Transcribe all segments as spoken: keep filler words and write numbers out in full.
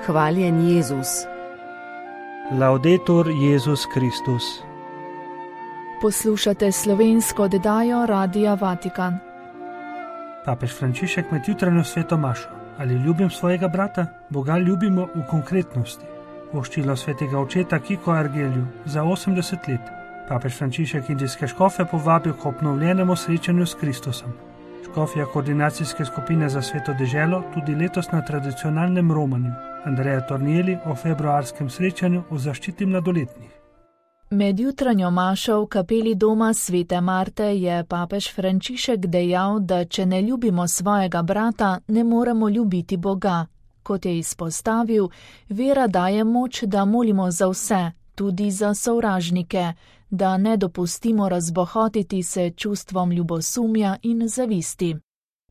Hvaljen Jezus. Laudetur Jezus Kristus. Poslušate slovensko oddajo Radia Vatikan. Papež Frančišek med jutranjo sveto mašo. Ali ljubim svojega brata? Boga ljubimo v konkretnosti. Voščilo svetega očeta Kiko Argelju za osemdeset let. Papež Frančišek indijske škofe povabil k obnovljenemu srečanju s Kristusom. Škofja koordinacijske skupine za sveto deželo tudi letos na tradicionalnem romanju. Andreja Tornieli o februarskem srečanju v zaščiti mladoletnih. Med jutranjo mašo v kapeli doma svete Marte je papež Frančišek dejal, da če ne ljubimo svojega brata, ne moremo ljubiti Boga. Kot je izpostavil, vera daje moč, da molimo za vse, tudi za sovražnike, da ne dopustimo razbohotiti se čustvom ljubosumja in zavisti.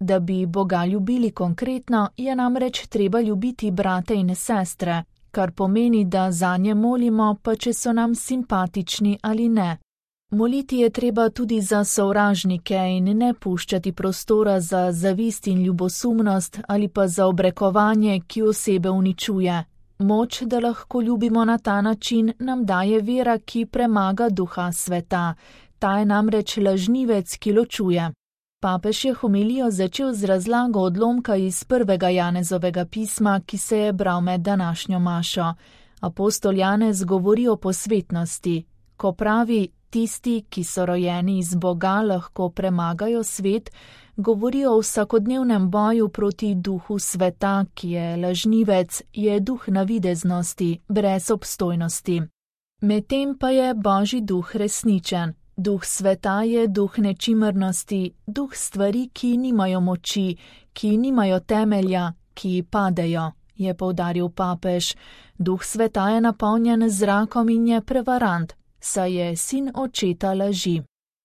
Da bi Boga ljubili konkretno, je namreč treba ljubiti brate in sestre, kar pomeni, da zanje molimo, pa če so nam simpatični ali ne. Moliti je treba tudi za sovražnike in ne puščati prostora za zavist in ljubosumnost ali pa za obrekovanje, ki osebe uničuje. Moč, da lahko ljubimo na ta način, nam daje vera, ki premaga duha sveta. Ta je namreč lažnivec, ki ločuje. Papež je homilijo začel z razlago odlomka iz prvega Janezovega pisma, ki se je bral med današnjo mašo. Apostol Janez govori o posvetnosti, ko pravi, tisti, ki so rojeni iz Boga, lahko premagajo svet, govori o vsakodnevnem boju proti duhu sveta, ki je lažnivec, je duh navideznosti, brez obstojnosti. Medtem pa je Božji duh resničen. Duh sveta je duh nečimrnosti, duh stvari, ki nimajo moči, ki nimajo temelja, ki padejo, je poudaril papež. Duh sveta je napolnjen z zrakom in je prevarant, saj je sin očeta laži.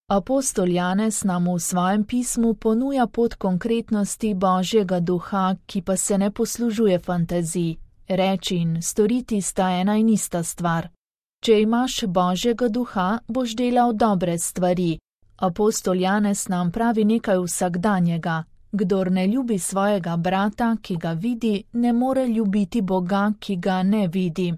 Apostol Janez nam v svojem pismu ponuja pot konkretnosti Božjega duha, ki pa se ne poslužuje fantazij. Reči in storiti sta ena in ista stvar. Če imaš Božjega duha, boš delal dobre stvari. Apostol Janez nam pravi nekaj vsakdanjega. Kdor ne ljubi svojega brata, ki ga vidi, ne more ljubiti Boga, ki ga ne vidi.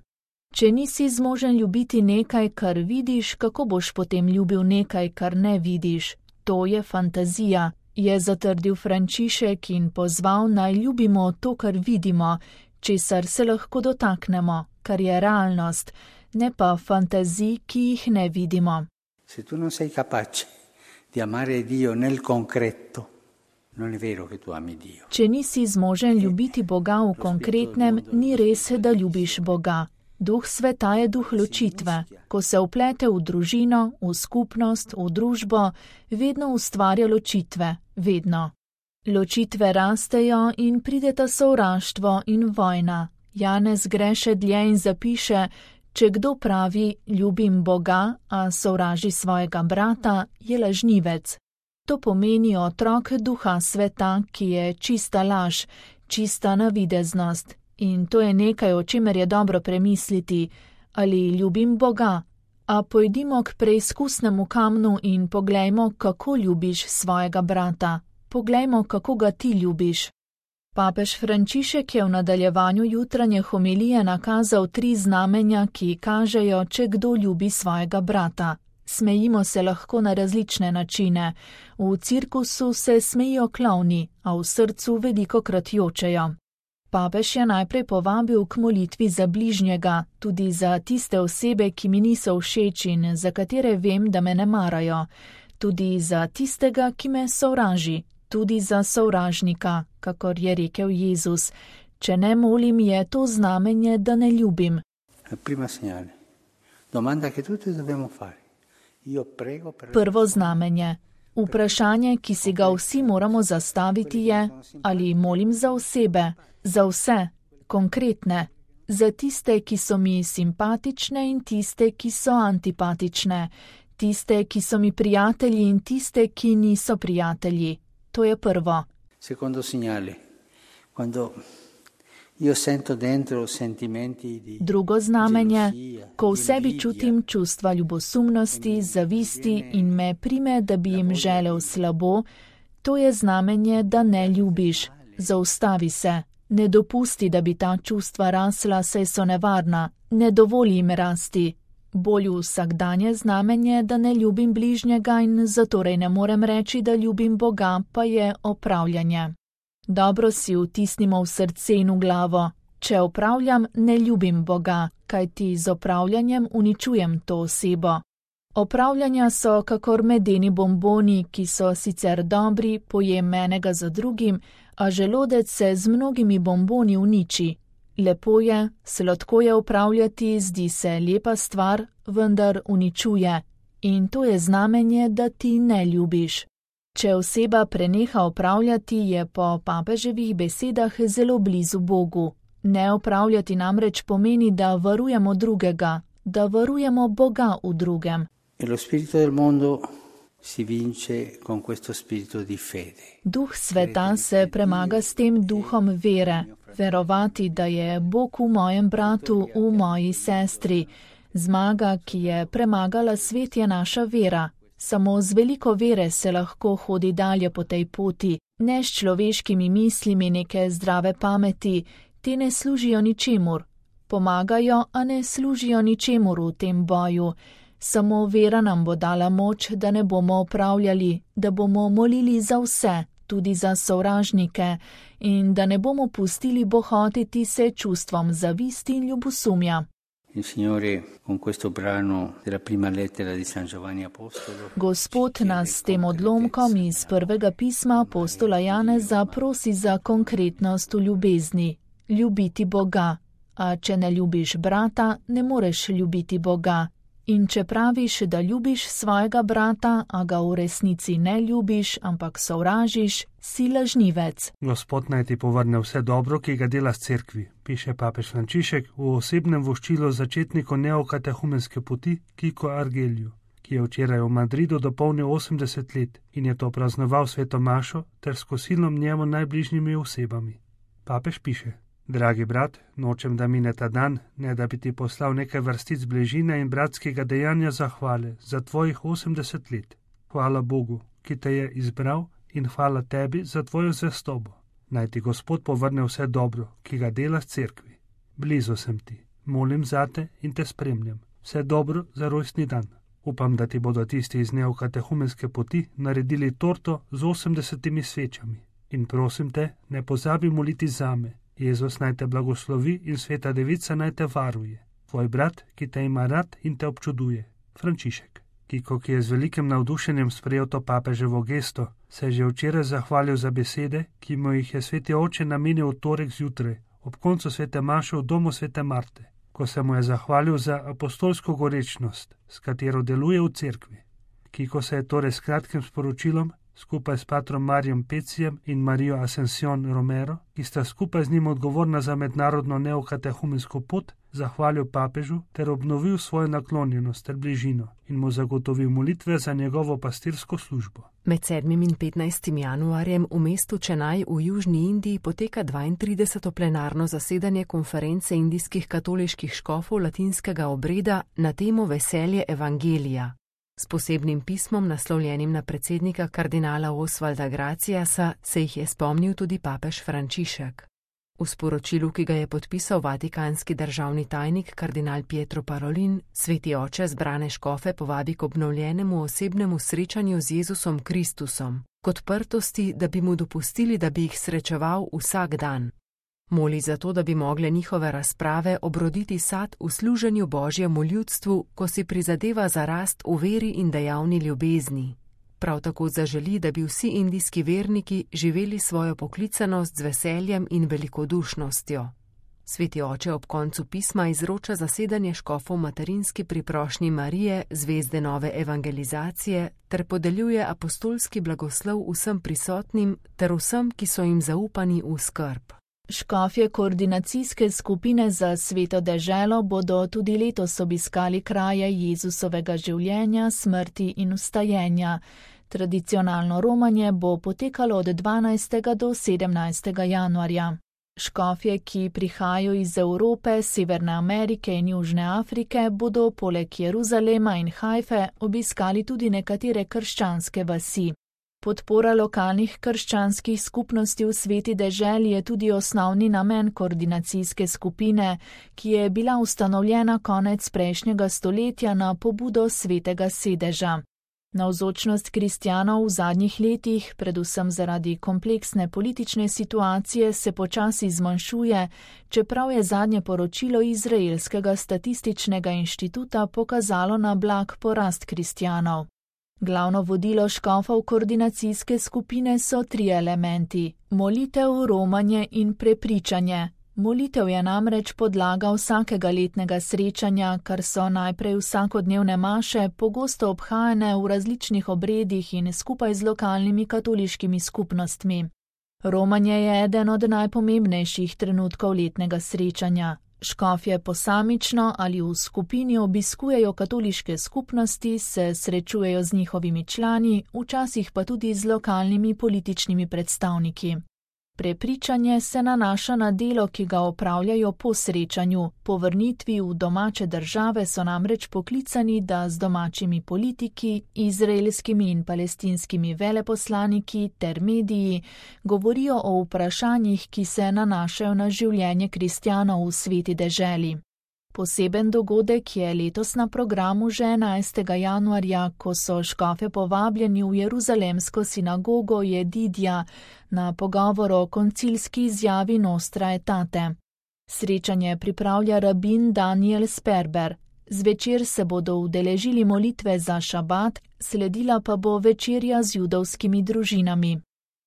Če nisi zmožen ljubiti nekaj, kar vidiš, kako boš potem ljubil nekaj, kar ne vidiš? To je fantazija, je zatrdil Frančišek in pozval, naj ljubimo to, kar vidimo, česar se lahko dotaknemo, kar je realnost, ne pa fantazij, ki jih ne vidimo. Se tu non sei capace di amare Dio nel concreto, non è vero che tu ami Dio. Če nisi zmožen ljubiti Boga v konkretnem, ni res, da ljubiš Boga. Duh sveta je duh ločitve. Ko se vplete v družino, v skupnost, v družbo, vedno ustvarja ločitve, vedno. Ločitve rastejo in prideta sovraštvo in vojna. Janez gre še dlje in zapiše, če kdo pravi, ljubim Boga, a sovraži svojega brata, je lažnivec. To pomeni otrok duha sveta, ki je čista laž, čista navideznost. In to je nekaj, o čemer je dobro premisliti, ali ljubim Boga. A pojdimo k preizkusnemu kamnu in poglejmo, kako ljubiš svojega brata. Poglejmo, kako ga ti ljubiš. Papež Frančišek je v nadaljevanju jutranje homilije nakazal tri znamenja, ki kažejo, če kdo ljubi svojega brata. Smejimo se lahko na različne načine. V cirkusu se smejijo klovni, a v srcu velikokrat jočejo. Papež je najprej povabil k molitvi za bližnjega, tudi za tiste osebe, ki mi niso všeč in za katere vem, da me ne marajo, tudi za tistega, ki me sovraži, tudi za sovražnika, kakor je rekel Jezus. Če ne molim, je to znamenje, da ne ljubim. Prvo znamenje. Vprašanje, ki si ga vsi moramo zastaviti, je, ali molim za osebe, za vse, konkretne, za tiste, ki so mi simpatične in tiste, ki so antipatične, tiste, ki so mi prijatelji in tiste, ki niso prijatelji. To je prvo. Secondo segnale, quando io sento dentro sentimenti di Drugo znamenje, ko v sebi čutim čustva ljubosumnosti, zavisti in me prime, da bi jim želel slabo, to je znamenje, da ne ljubiš. Zaustavi se. Ne dopusti, da bi ta čustva rasla, saj so nevarna, ne dovoli jim rasti. Bolj vsakdanje znamenje, da ne ljubim bližnjega in zatorej ne morem reči, da ljubim Boga, pa je opravljanje. Dobro si vtisnimo v srce in v glavo. Če opravljam, ne ljubim Boga, kajti z opravljanjem uničujem to osebo. Opravljanja so kakor medeni bomboni, ki so sicer dobri, pojem enega za drugim, a želodec se z mnogimi bomboni uniči. Lepo je, sladko je opravljati, zdi se lepa stvar, vendar uničuje. In to je znamenje, da ti ne ljubiš. Če oseba preneha opravljati, je po papeževih besedah zelo blizu Bogu. Ne opravljati namreč pomeni, da varujemo drugega, da varujemo Boga v drugem. Duh sveta se premaga s tem duhom vere, verovati, da je Bog v mojem bratu, v moji sestri. Zmaga, ki je premagala svet, je naša vera. Samo z veliko vere se lahko hodi dalje po tej poti, ne s človeškimi mislimi neke zdrave pameti, te ne služijo ničemur. Pomagajo, a ne služijo ničemur v tem boju. Samo vera nam bo dala moč, da ne bomo opravljali, da bomo molili za vse, tudi za sovražnike, in da ne bomo pustili bohotiti se čustvom zavisti in ljubosumja. Gospod nas s tem odlomkom iz prvega pisma apostola Janeza prosi za konkretnost v ljubezni. Ljubiti Boga. A če ne ljubiš brata, ne moreš ljubiti Boga. In če praviš, da ljubiš svojega brata, a ga v resnici ne ljubiš, ampak sovražiš, si lažnivec. Gospod naj ti povrne vse dobro, ki ga dela s cerkvi, piše papež Frančišek v osebnem voščilu začetniku neokatehumenske poti Kiko Argeliju, ki je včeraj v Madridu dopolnil osemdeset let in je to praznoval sveto mašo ter s kosilom njemu najbližjimi osebami. Papež piše: Dragi brat, nočem, da mine ta dan, ne da bi ti poslal nekaj vrstic bližine in bratskega dejanja zahvale za tvojih osemdeset let. Hvala Bogu, ki te je izbral, in hvala tebi za tvojo zvestobo. Naj ti Gospod povrne vse dobro, ki ga dela s cerkvi. Blizu sem ti, molim zate in te spremljam. Vse dobro za rojstni dan. Upam, da ti bodo tisti iz neokatehumenske poti naredili torto z osemdesetimi svečami. In prosim te, ne pozabi moliti zame. Jezus naj te blagoslovi in sveta devica naj te varuje. Tvoj brat, ki te ima rad in te občuduje. Frančišek. Kiko, ki je z velikim navdušenjem sprejel to papeževo gesto, se je že včeraj zahvalil za besede, ki mu jih je sveti oče namenil v torek zjutraj, ob koncu svete maše v domu svete Marte, ko se mu je zahvalil za apostolsko gorečnost, s katero deluje v cerkvi. Kiko se je torej s kratkim sporočilom, skupaj s patrom Marijem Pecijem in Marijo Ascension Romero, ki sta skupaj z njim odgovorna za mednarodno neokatehumensko pot, zahvalil papežu ter obnovil svojo naklonjenost ter bližino in mu zagotovil molitve za njegovo pastirsko službo. Med sedmim in petnajstim januarjem v mestu Čenaj v Južni Indiji poteka dvaintrideseto plenarno zasedanje konference indijskih katoliških škofov latinskega obreda na temo Veselje evangelija. S posebnim pismom, naslovljenim na predsednika kardinala Osvalda Graciasa, se jih je spomnil tudi papež Frančišek. V sporočilu, ki ga je podpisal vatikanski državni tajnik kardinal Pietro Parolin, sveti oče zbrane škofe povabi k obnovljenemu osebnemu srečanju z Jezusom Kristusom, k odprtosti, da bi mu dopustili, da bi jih srečeval vsak dan. Moli za to, da bi mogle njihove razprave obroditi sad v služenju Božjemu ljudstvu, ko si prizadeva za rast v veri in dejavni ljubezni. Prav tako zaželi, da bi vsi indijski verniki živeli svojo poklicanost z veseljem in velikodušnostjo. Sveti oče ob koncu pisma izroča zasedanje škofov materinski priprošnji Marije, zvezde nove evangelizacije, ter podeljuje apostolski blagoslov vsem prisotnim ter vsem, ki so jim zaupani v skrb. Škofje koordinacijske skupine za sveto deželo bodo tudi letos obiskali kraje Jezusovega življenja, smrti in vstajenja. Tradicionalno romanje bo potekalo od dvanajstega do sedemnajstega januarja. Škofje, ki prihajajo iz Evrope, Severne Amerike in Južne Afrike, bodo poleg Jeruzalema in Hajfe obiskali tudi nekatere krščanske vasi. Podpora lokalnih krščanskih skupnosti v Sveti deželi je tudi osnovni namen koordinacijske skupine, ki je bila ustanovljena konec prejšnjega stoletja na pobudo Svetega sedeža. Navzočnost kristjanov v zadnjih letih, predvsem zaradi kompleksne politične situacije, se počasi zmanjšuje, čeprav je zadnje poročilo Izraelskega statističnega inštituta pokazalo na blag porast kristjanov. Glavno vodilo škofov koordinacijske skupine so tri elementi: molitev, romanje in prepričanje. Molitev je namreč podlaga vsakega letnega srečanja, kar so najprej vsakodnevne maše, pogosto obhajane v različnih obredih in skupaj z lokalnimi katoliškimi skupnostmi. Romanje je eden od najpomembnejših trenutkov letnega srečanja. Škofje posamično ali v skupini obiskujejo katoliške skupnosti, se srečujejo z njihovimi člani, včasih pa tudi z lokalnimi političnimi predstavniki. Prepričanje se nanaša na delo, ki ga opravljajo po srečanju. Po vrnitvi v domače države so namreč poklicani, da z domačimi politiki, izraelskimi in palestinskimi veleposlaniki ter mediji govorijo o vprašanjih, ki se nanašajo na življenje kristjanov v Sveti deželi. Poseben dogodek je letos na programu že enajstega januarja, ko so škofe povabljeni v Jeruzalemsko sinagogo Jedidja na pogovor o koncilski izjavi Nostra Aetate. Srečanje pripravlja rabin Daniel Sperber. Zvečer se bodo udeležili molitve za šabat, sledila pa bo večerja z judovskimi družinami.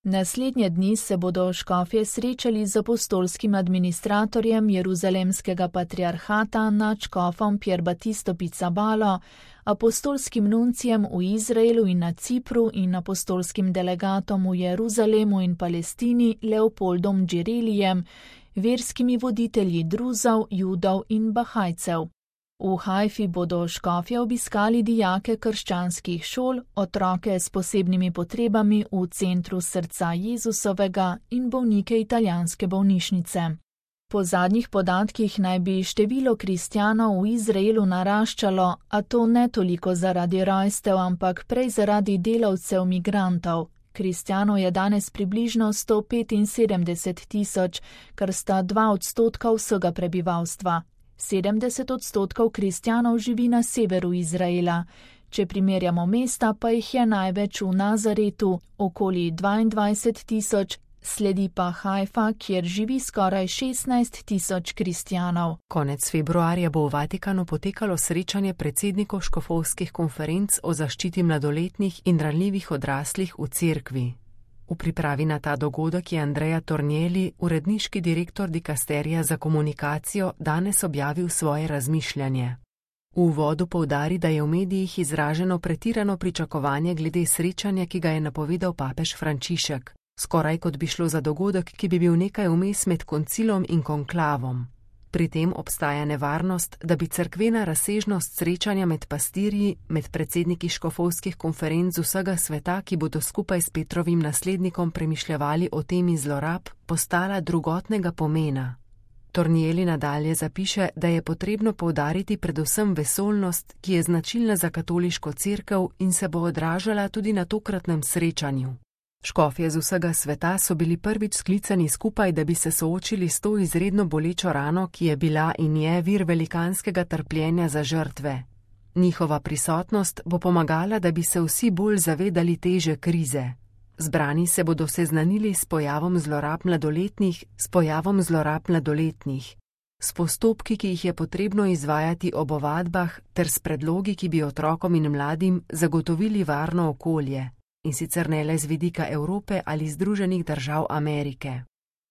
Naslednje dni se bodo škofje srečali z apostolskim administratorjem Jeruzalemskega patriarhata nadškofom Pier Battisto Pizzabalo, apostolskim nuncijem v Izraelu in na Cipru in apostolskim delegatom v Jeruzalemu in Palestini Leopoldom Džirelijem, verskimi voditelji Druzov, Judov in Bahajcev. V Hajfi bodo škofje obiskali dijake krščanskih šol, otroke s posebnimi potrebami v centru srca Jezusovega in bolnike italijanske bolnišnice. Po zadnjih podatkih naj bi število kristjanov v Izraelu naraščalo, a to ne toliko zaradi rojstev, ampak prej zaradi delavcev migrantov. Kristjanov je danes približno sto petinsedemdeset tisoč, kar sta dva odstotka vsega prebivalstva. sedemdeset odstotkov kristjanov živi na severu Izraela. Če primerjamo mesta, pa jih je največ v Nazaretu, okoli dvaindvajset tisoč, sledi pa Hajfa, kjer živi skoraj šestnajst tisoč kristjanov. Konec februarja bo v Vatikanu potekalo srečanje predsednikov škofovskih konferenc o zaščiti mladoletnih in ranljivih odraslih v cerkvi. V pripravi na ta dogodek je Andrea Tornielli, uredniški direktor dikasterija za komunikacijo, danes objavil svoje razmišljanje. V uvodu poudari, da je v medijih izraženo pretirano pričakovanje glede srečanja, ki ga je napovedal papež Frančišek, skoraj kot bi šlo za dogodek, ki bi bil nekaj vmes med koncilom in konklavom. Pri tem obstaja nevarnost, da bi cerkvena razsežnost srečanja med pastirji, med predsedniki škofovskih konferenc vsega sveta, ki bodo skupaj s Petrovim naslednikom premišljevali o temi zlorab, postala drugotnega pomena. Tornielli nadalje zapiše, da je potrebno poudariti predvsem vesoljnost, ki je značilna za katoliško cerkev in se bo odražala tudi na tokratnem srečanju. Škofje z vsega sveta so bili prvič sklicani skupaj, da bi se soočili s to izredno bolečo rano, ki je bila in je vir velikanskega trpljenja za žrtve. Njihova prisotnost bo pomagala, da bi se vsi bolj zavedali teže krize. Zbrani se bodo seznanili s pojavom zlorab mladoletnih, s pojavom zlorab mladoletnih, s postopki, ki jih je potrebno izvajati ob ovadbah, ter s predlogi, ki bi otrokom in mladim zagotovili varno okolje. In sicer ne le z vidika Evrope ali Združenih držav Amerike.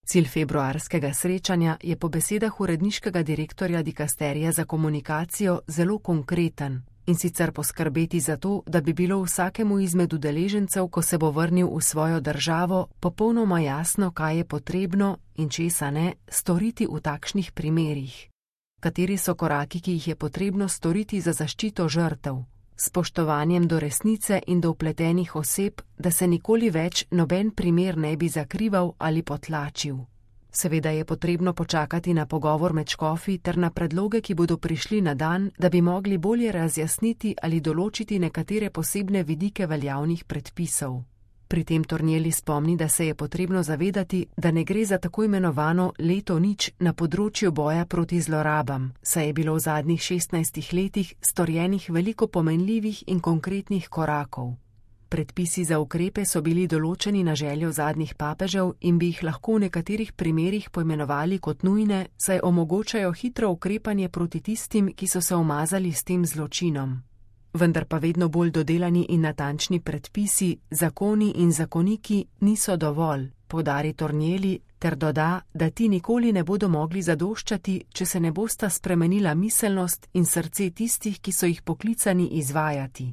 Cilj februarskega srečanja je po besedah uredniškega direktorja dikasterija za komunikacijo zelo konkreten, in sicer poskrbeti za to, da bi bilo vsakemu izmed udeležencev, ko se bo vrnil v svojo državo, popolnoma jasno, kaj je potrebno in česa ne storiti v takšnih primerih. Kateri so koraki, ki jih je potrebno storiti za zaščito žrtev, spoštovanjem do resnice in do vpletenih oseb, da se nikoli več noben primer ne bi zakrival ali potlačil. Seveda je potrebno počakati na pogovor med škofi ter na predloge, ki bodo prišli na dan, da bi mogli bolje razjasniti ali določiti nekatere posebne vidike veljavnih predpisov. Pri tem Tornielli spomni, da se je potrebno zavedati, da ne gre za tako imenovano leto nič na področju boja proti zlorabam, saj je bilo v zadnjih šestnajstih letih storjenih veliko pomenljivih in konkretnih korakov. Predpisi za ukrepe so bili določeni na željo zadnjih papežev in bi jih lahko v nekaterih primerih poimenovali kot nujne, saj omogočajo hitro ukrepanje proti tistim, ki so se umazali s tem zločinom. Vendar pa vedno bolj dodelani in natančni predpisi, zakoni in zakoniki niso dovolj, poudari Tornielli, ter doda, da ti nikoli ne bodo mogli zadoščati, če se ne bosta spremenila miselnost in srce tistih, ki so jih poklicani izvajati.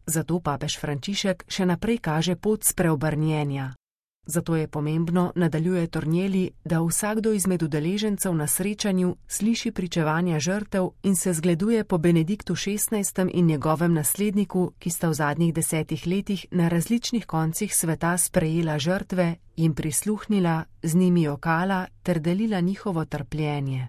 Zato papež Frančišek še naprej kaže pot spreobrnjenja. Zato je pomembno, nadaljuje Tornielli, da vsakdo izmed udeležencev na srečanju sliši pričevanja žrtev in se zgleduje po Benediktu šestnajstem in njegovem nasledniku, ki sta v zadnjih desetih letih na različnih koncih sveta sprejela žrtve, jim prisluhnila, z njimi jokala ter delila njihovo trpljenje.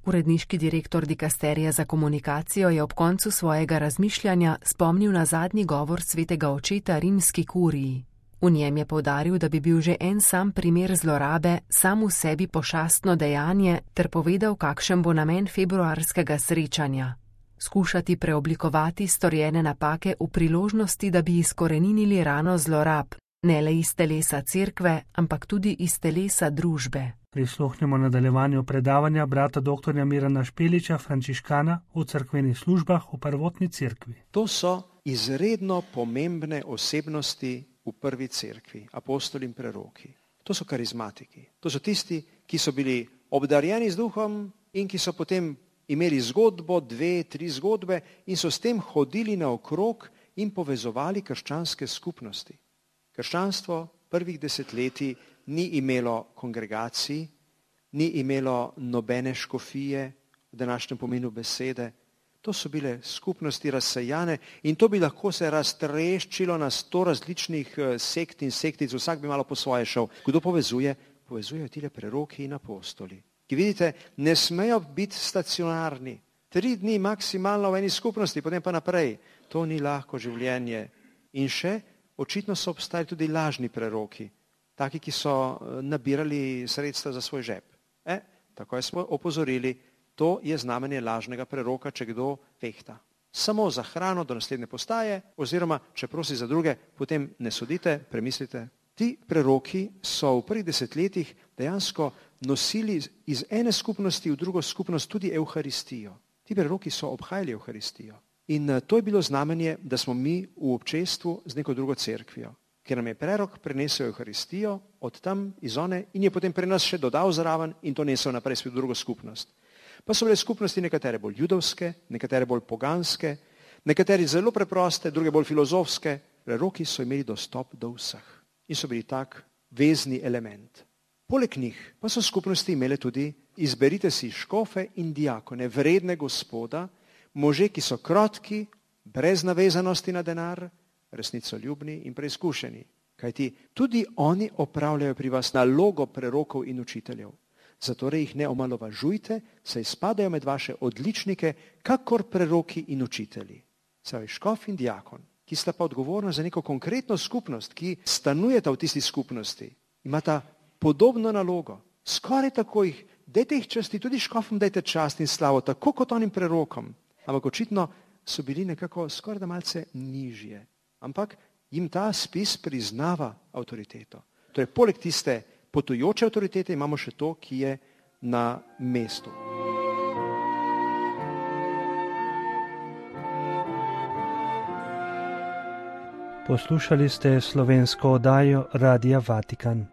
Uredniški direktor dikasterija za komunikacijo je ob koncu svojega razmišljanja spomnil na zadnji govor svetega očeta rimski kuriji. V njem je poudaril, da bi bil že en sam primer zlorabe sam v sebi pošastno dejanje ter povedal, kakšen bo namen februarskega srečanja. Skušati preoblikovati storjene napake v priložnosti, da bi izkoreninili rano zlorab, ne le iz telesa cerkve, ampak tudi iz telesa družbe. Prisluhnimo nadaljevanju predavanja brata doktorja Mirana Špeliča, frančiškana v cerkvenih službah v prvotni cerkvi. To so izredno pomembne osebnosti v prvi cerkvi, apostoli in preroki. To so karizmatiki. To so tisti, ki so bili obdarjeni z duhom in ki so potem imeli zgodbo, dve, tri zgodbe in so s tem hodili naokrog in povezovali krščanske skupnosti. Krščanstvo prvih desetletij ni imelo kongregacij, ni imelo nobene škofije v današnjem pomenu besede. To so bile skupnosti razsejane in to bi lahko se raztreščilo na sto različnih sekt in sektic, vsak bi malo po svoje šel. Kdo povezuje? Povezujejo tile preroki in apostoli. Ki vidite, ne smejo biti stacionarni. Tri dni maksimalno v eni skupnosti, potem pa naprej. To ni lahko življenje. In še, očitno so obstajali tudi lažni preroki. Taki, ki so nabirali sredstva za svoj žep. E, tako smo opozorili, to je znamenje lažnega preroka, če kdo vehta. Samo za hrano do naslednje postaje, oziroma če prosi za druge, potem ne sodite, premislite. Ti preroki so v prvih desetletjih dejansko nosili iz ene skupnosti v drugo skupnost tudi Evharistijo. Ti preroki so obhajali Evharistijo. In to je bilo znamenje, da smo mi v občestvu z neko drugo cerkvijo, ker nam je prerok prenesel Evharistijo od tam iz one in je potem pri nas še dodal zraven in to nesel naprej v drugo skupnost. Pa so bile skupnosti nekatere bolj judovske, nekatere bolj poganske, nekatere zelo preproste, druge bolj filozofske. Preroki so imeli dostop do vseh in so bili tak vezni element. Poleg njih pa so skupnosti imele tudi izberite si škofe in diakone, vredne Gospoda, može, ki so krotki, brez navezanosti na denar, resnicoljubni in preizkušeni. Kajti tudi oni opravljajo pri vas nalogo prerokov in učiteljev. Zatorej jih ne omalovažujte, saj spadajo med vaše odličnike, kakor preroki in učitelji. Saj škof in diakon, ki sta pa odgovorna za neko konkretno skupnost, ki stanujeta v tisti skupnosti, imata podobno nalogo. Skoraj tako jih, dajte jih časti, tudi škofom dajte čast in slavo, tako kot onim prerokom. Ampak očitno so bili nekako skoraj da malce nižje. Ampak jim ta spis priznava avtoriteto. Torej, poleg tiste potujoče avtoritete imamo še to, ki je na mestu. Poslušali ste slovensko oddajo Radia Vatikan.